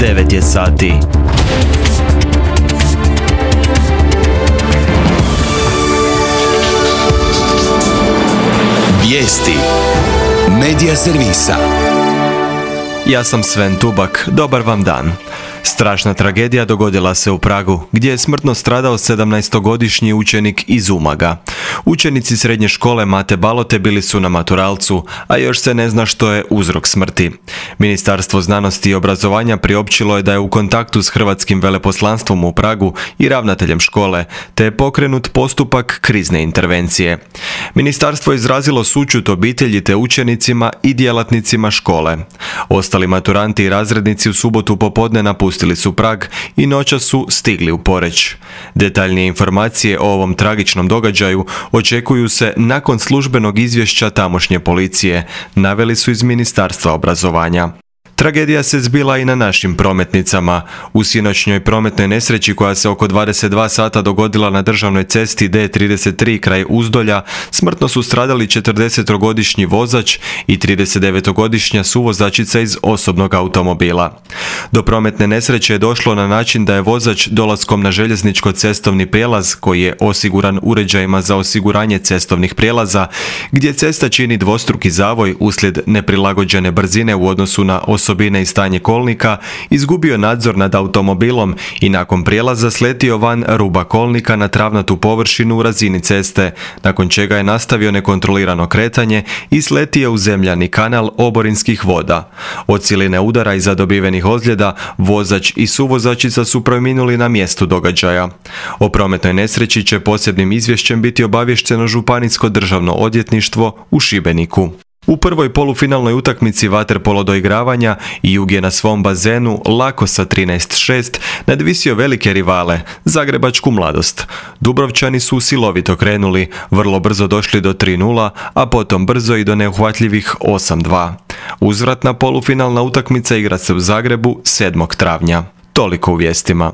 9 je sati. Vijesti Medija servisa. Ja sam Sven Tubak, dobar vam dan. Strašna tragedija dogodila se u Pragu, gdje je smrtno stradao 17-godišnji učenik iz Umaga. Učenici srednje škole Mate Balote bili su na maturalcu, a još se ne zna što je uzrok smrti. Ministarstvo znanosti i obrazovanja priopćilo je da je u kontaktu s hrvatskim veleposlanstvom u Pragu i ravnateljem škole, te je pokrenut postupak krizne intervencije. Ministarstvo je izrazilo sućut obitelji te učenicima i djelatnicima škole. Ostali maturanti i razrednici u subotu popodne napustili su Prag i noćas su stigli u Poreč. Detaljnije informacije o ovom tragičnom događaju očekuju se nakon službenog izvješća tamošnje policije, naveli su iz Ministarstva obrazovanja. Tragedija se zbila i na našim prometnicama. U sinoćnjoj prometnoj nesreći koja se oko 22 sata dogodila na državnoj cesti D33 kraj Uzdolja, smrtno su stradali 40-godišnji vozač i 39-godišnja suvozačica iz osobnog automobila. Do prometne nesreće je došlo na način da je vozač dolaskom na željezničko-cestovni prijelaz, koji je osiguran uređajima za osiguranje cestovnih prijelaza, gdje cesta čini dvostruki zavoj uslijed neprilagođene brzine u odnosu na osobine i stanje kolnika, izgubio nadzor nad automobilom i nakon prijelaza sletio van ruba kolnika na travnatu površinu u razini ceste, nakon čega je nastavio nekontrolirano kretanje i sletio u zemljani kanal oborinskih voda. Od siline udara i zadobivenih ozljeda, vozač i suvozačica su preminuli na mjestu događaja. O prometnoj nesreći će posebnim izvješćem biti obavješteno Županijsko državno odvjetništvo u Šibeniku. U prvoj polufinalnoj utakmici vaterpolo doigravanja Jug je na svom bazenu lako sa 13:6 nadvisio velike rivale, Zagrebačku Mladost. Dubrovčani su silovito krenuli, vrlo brzo došli do 3:0, a potom brzo i do neuhvatljivih 8:2. Uzvratna polufinalna utakmica igra se u Zagrebu 7. travnja. Toliko u vijestima.